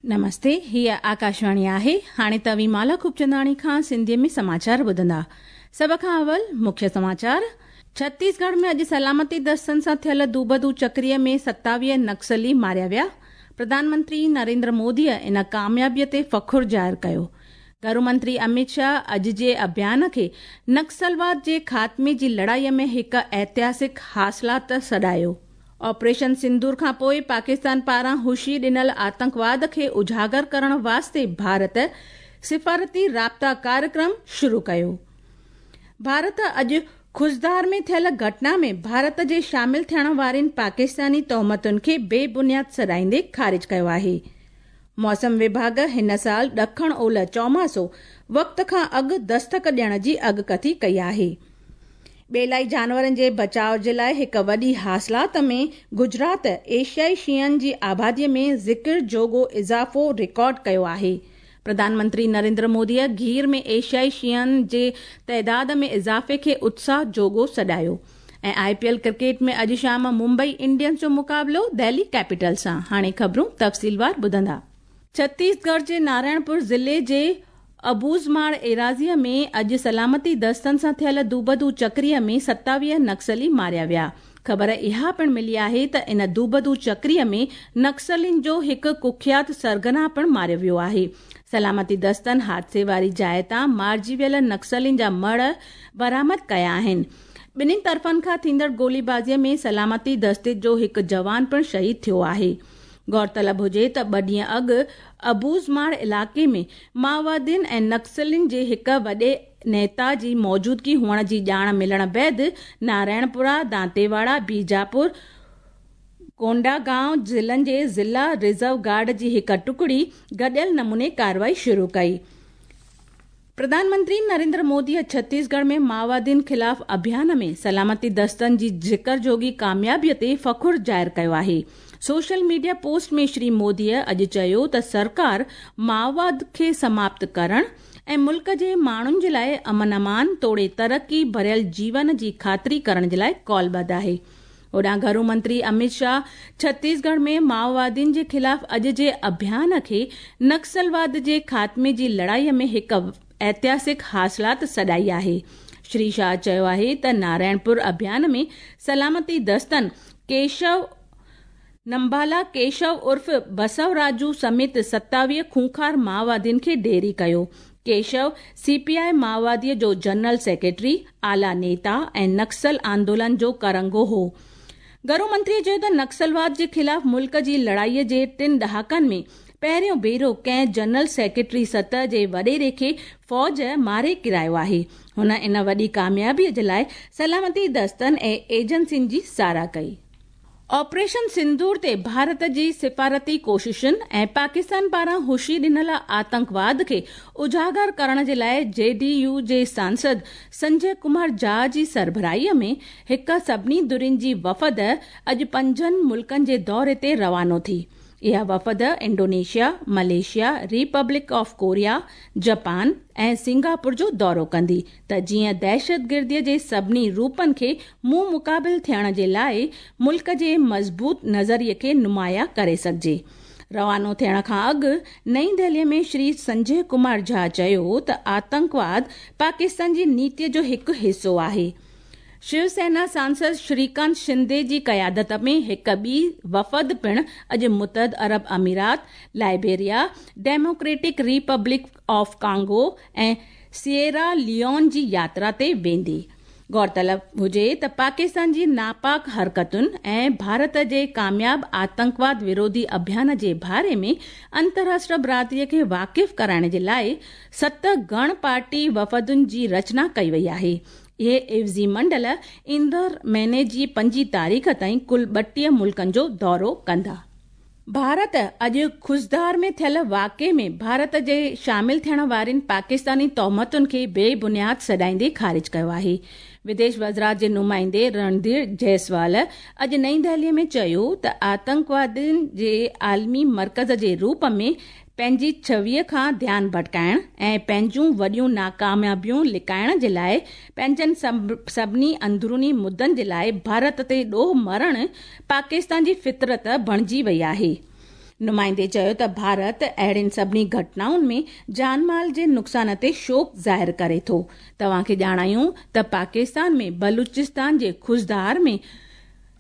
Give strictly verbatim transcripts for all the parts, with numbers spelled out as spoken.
नमस्ते, हीअ आकाशवाणी आहे। हाणे तव्हीं माला खूबचंदाणी खां सिंधीअ में समाचार ॿुधंदा। सभ खां अवल मुख्य समाचार। छत्तीसगढ़ में अॼु सलामती दस्तनि सां थियल दूबदू चक्रीअ में सतावीह नक्सली मारिया विया। प्रधानमंत्री नरेंद्र मोदीअ इन कामयाबीअ ते फ़ख़ुरु ज़ाहिर कयो। घरू मंत्री अमित शाह अॼु जे अभियान खे नक्सलवाद जे ख़ात्मे जी लड़ाईअ में हिकु ऐतिहासिक हासिलात सॾायो। ऑपरेशन सिंदूर खां पोइ पाकिस्तान पारां हुशी ॾिनल आतंकवाद खे उजागर करण वास्ते भारत सिफारती राब्ता कार्यक्रम शुरू कयो। भारत अॼु खुज़दार में थियल घटना में भारत जे शामिल थियण वारनि पाकिस्तानी तोहमतुनि खे बेबुनियाद सॾाईंदे ख़ारिज कयो आहे। मौसम विभाग हिन साल ॾखण ओलह चौमासो वक़्त खां अॻु दस्तक ॾियण जी अॻकथी कई आहे। ॿेलाई जानवरनि जे बचाव जे लाइ हिकु वॾी हासिलात में गुजरात एशियाई शींहनि जी आबादीअ में ज़िक्र जोॻो इज़ाफ़ो रिकॉर्ड कयो आहे। प्रधानमंत्री नरेंद्र मोदीअ गीर में एशियाई शींहनि जे तइदाद में इज़ाफ़े खे उत्साह जोॻो सॾायो। ऐं I P L cricket में अॼु शाम मुंबई इंडियंस जो मुक़ाबिलो दिल्ली कैपिटल सां। हाणे ख़बरूं तफ़सीलवार ॿुधंदा। छत्तीसगढ़ जे नारायणपुर ज़िले जे अबूज़माड़ एराज़ीअ में अॼु सलामती दस्तनि सां थियल दूबदू चक्रीअ में सतावीह नक्सली मारिया विया। ख़बर इहा पिणु मिली आहे त इन दूबदू चक्रीअ में नक्सलियुनि जो हिकु कुख्यात सरगना पिणु मारियो वियो आहे। सलामती दस्तनि हादसे वारी जाइ तां मारिजी वियल नक्सलियुनि जा मड़ बरामद कया आहिनि। ॿिन्हिनि तरफ़नि खां थींदड़ गोलीबाज़ीअ में सलामती दस्ते जो हिकु जवान पिणु शहीद थियो आहे। गौरतलब हुजे त ॿ ॾींहं अॻु अबूज़माड़ इलाइक़े में माओवादियुनि ऐं नक्सलियुनि जे हिकु वॾे नेता जी मौजूदगी हुअण जी ॼाण मिलण बाद नारायणपुरा, दांतेवाड़ा, बीजापुर, कोंडागांव ज़िलनि जे ज़िला रिज़र्व गार्ड जी हिकु टुकड़ी गॾियल नमूने कार्रवाई शुरू कई। प्रधानमंत्री नरेंद्र मोदीअ छत्तीसगढ़ में माओवादियुनि ख़िलाफ़ अभियान में सलामती दस्तनि जी ज़िक्र जोॻी कामयाबीअ ते फ़ख़ुरु ज़ाहिर कयो आहे। सोशल मीडिया पोस्ट में श्री मोदीअ अॼु चयो त सरकार माओवाद खे समाप्त करण ऐं मुल्क जे माण्हुनि जे लाइ अमन अमान तोड़े तरक़ी भरियल जीवन जी ख़ातिरी करण जे लाइ कॉलबद्ध आहे। होॾां घरू मंत्री अमित शाह छत्तीसगढ़ में माओवादियुनि जे ख़िलाफ़ अॼु जे अभियान खे नक्सलवाद जे ख़ात्मे जी लड़ाईअ में हिकु ऐतिहासिक हासिलात सॾाई आहे। श्री शाह चयो आहे त नारायणपुर अभियान में सलामती दस्तनि केशव नंबाला केशव उर्फ़ बसवराजू समेत सतावीह खूंखार माओवादियुनि खे ढेरी कयो। केशव सीपीआई माओवादीअ जो जनरल सेक्रेटरी, आला नेता ऐं नक्सल आंदोलन जो करंगो हो। घरू मंत्रीअ चयो त नक्सलवाद जे ख़िलाफ़ मुल्क जी लड़ाईअ जे टिनि ॾहाकनि में पहिरियों भेरो कंहिं जनरल सेक्रेटरी सतह जे वॾेरे खे फ़ौज मारे किरायो आहे। हुन इन वॾी कामयाबीअ जे लाइ सलामती दस्तनि ऐं एजेंसियुनि जी सराह कई। ऑपरेशन सिंदूर ते भारत जी सिफारती कोशिशुनि ऐं पाकिस्तान पारां हुशी ॾिनल आतंकवाद खे उजागर करण जे लाइ जे डी यू जे सांसद संजय कुमार झा जी सरबराहीअ में हिकु सभिनी धुरियुनि जी वफ़द अॼु पंजनि मुल्कनि जे दौरे ते रवानो थी। इहा वफ़द Indonesia, Malaysia, Republic of Korea, Japan ऐं सिंगापुर जो दौरो कंदी त जीअं दहशतगिर्दीअ जे सभिनी रूपनि खे मुंहुं मुक़ाबिल थियण जे लाइ मुल्क जे मज़बूत नज़रिए खे नुमायां करे सघिजे। रवानो थियण खां अॻु नई दिल्लीअ में श्री संजय कुमार झा चयो त आतंकवाद पाकिस्तान जी नीतीअ जो हिकु हिसो आहे। शिवसेना सांसद श्रीकांत शिंदे जी क़यादत में हिकु ॿी वफ़द पिणु अॼु मुतहद अरब अमीरात, Liberia, Democratic Republic of Congo ऐं सिएरा लियोन जी यात्रा ते वेंदी। गौरतलब हुजे त पाकिस्तान जी नापाक हरकतुनि ऐं भारत जे कामयाब आतंकवाद विरोधी अभियान जे बारे में अंतर्राष्ट्रीय बिरादरीअ खे वाक़िफ़ कराइण जे लाइ सत गण पार्टी वफ़दुनि जी रचना कई वई आहे। इहे इवज़ी मंडल ईंदड़ महीने जी पंजी तारीख़ ताईं कुल ॿटीह मुल्कनि जो दौरो कंदा। भारत अॼु खुज़दार में थियल वाक़िए में भारत जे शामिल थियण वारनि पाकिस्तानी तोहमतुनि खे बेबुनियाद सॾाईंदे ख़ारिज कयो आहे। विदेश वज़ारत जे नुमाइंदे रणधीर जायसवाल अॼु नई दिल्लीअ में चयो त आतंकवादियुनि जे आलमी मर्कज़ जे रूप में पंहिंजी छवीअ खां ध्यानु भटकाइण ऐं पंहिंजूं वॾियूं नाकामयाबियूं लिकाइण जे लाइ पंहिंजनि सभिनी अंदरूनी मुद्दनि जे लाइ भारत ते ॾोह मरण पाकिस्तान जी फितरत बणिजी वई आहे। नुमाइंदे चयो त भारत अहिड़ियुनि सभिनी घटनाउनि में जानमाल जे नुक़सान ते शोक ज़ाहिर करे थो। तव्हांखे ॼाणायूं त पाकिस्तान में बलूचिस्तान जे खुज़दार में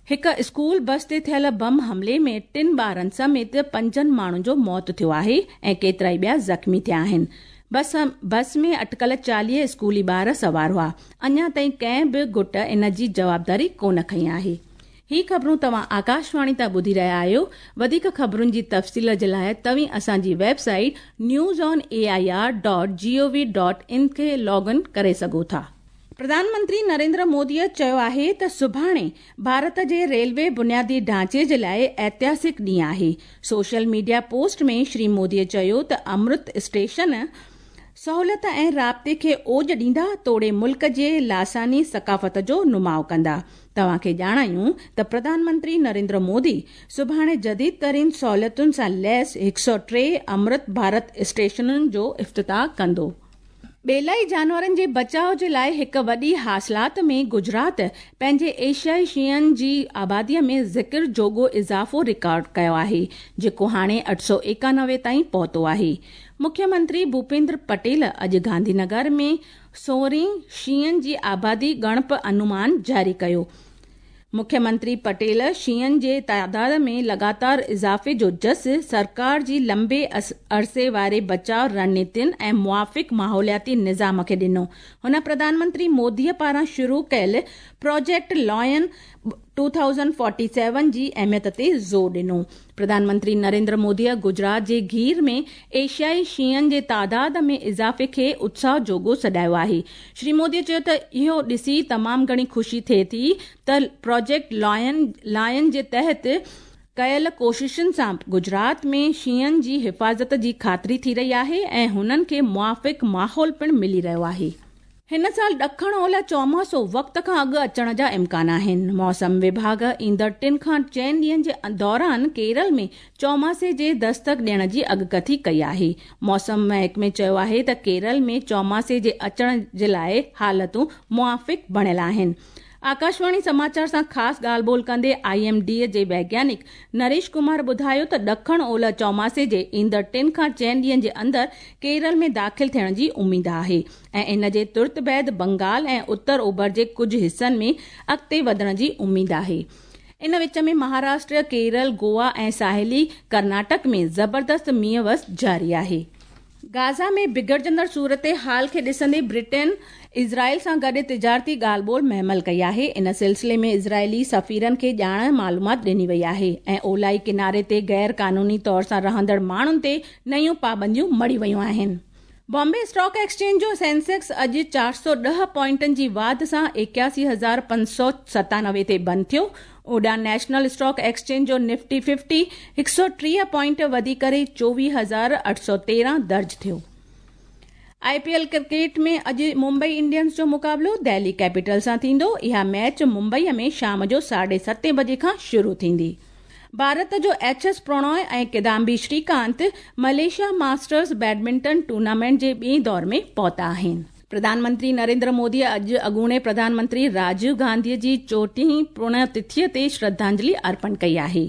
हिकु स्कूल बस ते थियल बम हमले में टिनि ॿारनि समेत पंजनि माण्हुनि जो मौत थियो आहे ऐं केतिरा ई ॿिया ज़ख़्मी थिया आहिनि। बस बस में अटकल चालीह स्कूली ॿार सवार हुआ। अञा ताईं कंहिं बि गुट इन जी जवाबदारी कोन खई आहे। ही ख़बरूं तव्हां आकाशवाणी तां ॿुधी रहिया आहियो। वधीक ख़बरुनि जी तफ़सील जे लाइ तव्हीं असांजी website news on A I R dot G O V dot in खे लॉग इन करे सघो था। प्रधानमंत्री नरेंद्र मोदीअ चयो आहे त सुभाणे भारत जे रेलवे बुनियादी ढांचे जे लाइ ऐतिहासिक ॾींहुं आहे। सोशल मीडिया पोस्ट में श्री मोदीअ चयो त अमृत स्टेशन सहूलियत ऐं राब्ते खे ओज ॾींदा तोड़े मुल्क जे लासानी सकाफ़त जो नुमाउ कंदा। तव्हांखे ॼाणायूं त प्रधानमंत्री नरेंद्र मोदी सुभाणे जदीद तरीन सहूलियतुनि सां लैस हिकु सौ टे अमृत भारत स्टेशनुनि जो इफ्तिताह कंदो। ॿेलाई जानवरनि जे बचाव जे लाइ हिकु वॾी हासिलात में गुजरात पंहिंजे एशियाई शींहनि जी आबादीअ में ज़िक्र जोॻो इज़ाफ़ो रिकॉर्ड कयो आहे, जेको हाणे अठ सौ एकानवे ताईं पहुतो आहे। मुख्यमंत्री भूपेंद्र पटेल अॼु गांधीनगर में सोरहीं शींहनि जी आबादी ॻणप अनुमान जारी कयो। मुख्यमंत्री पटेल शींहनि जे तादाद में लगातार इज़ाफ़े जो जस सरकार जी लंबे अरसे वारे बचाव रणनीतियुनि ऐं मुआफ़िक़ माहौलियाती निज़ाम खे ॾिनो। हुन प्रधानमंत्री मोदीअ पारां शुरू कयल project lion two thousand forty seven जी अहमियत ते ज़ोर ॾिनो। प्रधानमंत्री नरेंद्र मोदीअ गुजरात जे गीर में एशियाई शींहनि जे तादाद में इज़ाफ़े खे उत्साह जोॻो सॾायो आहे। श्री मोदीअ चयो त इहो ॾिसी तमामु घणी ख़ुशी थिए थी त प्रोजेक्ट लायन लायन जे तहत कयल कोशिशुनि सां गुजरात में शींहनि जी हिफ़ाज़त जी ख़ातिरी थी रही आहे ऐं हुननि खे मुआफ़िक़ माहौल पिणु मिली रहियो आहे। हिन साल ॾखण ओलह चौमासो वक़्त खां अॻु अचण जा इम्कान आहिनि। मौसम विभाग ईंदड़ टिनि खां चइनि ॾींहंनि जे दौरान केरल में चौमासे जे दस्तक ॾियण जी अॻकथी कई आहे। मौसम महकमे चयो आहे त केरल में चौमासे जे अचण जे लाइ हालतूं मुआफ़िक़ बणियल आहिनि। आकाशवाणी समाचार सां ख़ासि ॻाल्हि ॿोल कंदे I am D जे वैज्ञानिक नरेश कुमार ॿुधायो त ॾखण ओलह चौमासे जे ईंदड़ टिनि खां चइनि ॾींहंनि जे अंदरि केरल में दाख़िल थियण जी उमेद आहे ऐं इन जे तुरत बाद बंगाल ऐं उत्तर ओभर जे कुझु हिसनि में अॻिते वधण जी उमेद आहे। इन विच में महाराष्ट्र, केरल, गोवा ऐं साहिली कर्नाटक में ज़बरदस्त मींहुं वस जारी आहे। गाज़ा में बिगड़जंदड़ सूरत हाल खे ॾिसंदे ब्रिटेन इज़राइल सां गॾु तिजारती ॻाल्हि ॿोल महमल कई आहे। इन सिलसिले में इज़राइली सफ़ीरनि खे ॼाण मालूमात ॾिनी वई आहे ऐं ओलाई किनारे ते गैर कानूनी तौर सां रहंदड़ माण्हुनि ते नयूं पाबंदियूं मढ़ी वयूं आहिनि। बॉम्बे स्टॉक एक्सचेंज जो सेंसेक्स अॼु चारि सौ ॾह पॉइंटनि जी वाध सां एकासी हज़ार पंज सौ सतानवे ते बंदि थियो। ओॾा नेशनल स्टॉक एक्सचेंज जो निफ्टी फिफ्टी हिकु सौ टीह पॉइंट वधी करे चोवीह हज़ार अठ सौ तेरहं दर्ज थियो। I P L cricket में अॼु मुंबई इंडियंस जो मुक़ाबिलो दिल्ली कैपिटल सां थींदो। इहा मैच मुंबईअ में शाम जो साढे सतें बजे खां शुरू थींदी। भारत जो एच एस प्रणॉय ऐं Kidambi Srikanth Malaysia masters badminton tournament जे ॿिए दौर में पहुता आहिनि। प्रधानमंत्री नरेंद्र मोदी अॼु अॻूणे प्रधानमंत्री राजीव गांधीअ जी चोटीहीं पुण्यतिथिअ ते श्रद्धांजलि अर्पण कई आहे।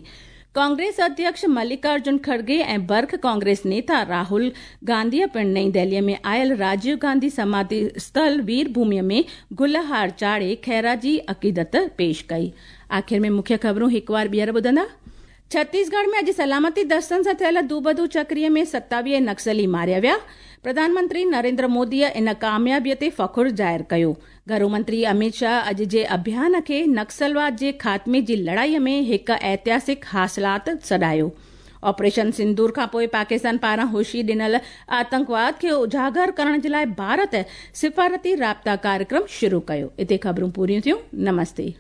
कांग्रेस अध्यक्ष मल्लिकार्जुन खड़गे ऐं बर्ख कांग्रेस नेता राहुल गांधीअ पिणु नई दिल्लीअ में आयल राजीव गांधी समाधि स्थल वीरभूमिअ में गुलहार चाढ़े ख़ैराजी अक़ीदत पेश कई। आख़िर में मुख्य ख़बरूं हिकु बार ॿीहर ॿुधंदा। छत्तीसगढ़ में अॼु सलामती दस्तनि सां थियल दूबदू चकरीअ में सतावीह नक्सली मारिया विया। प्रधानमंत्री नरेंद्र मोदीअ इन कामयाबीअ ते फ़ख्रु ज़ाहिर कयो। घरू मंत्री अमित शाह अॼु जे अभियान खे नक्सलवाद जे ख़ात्मे जी लड़ाईअ में हिकु ऐतिहासिक हासिलात सॾायो। ऑपरेशन सिंदूर खां पोइ पाकिस्तान पारां हुशी ॾिनल आतंकवाद खे उजागर करण जे लाइ भारत सिफारती राब्ता कार्यक्रम शुरू कयो। हिते ख़बरूं पूरियूं थियूं। नमस्ते।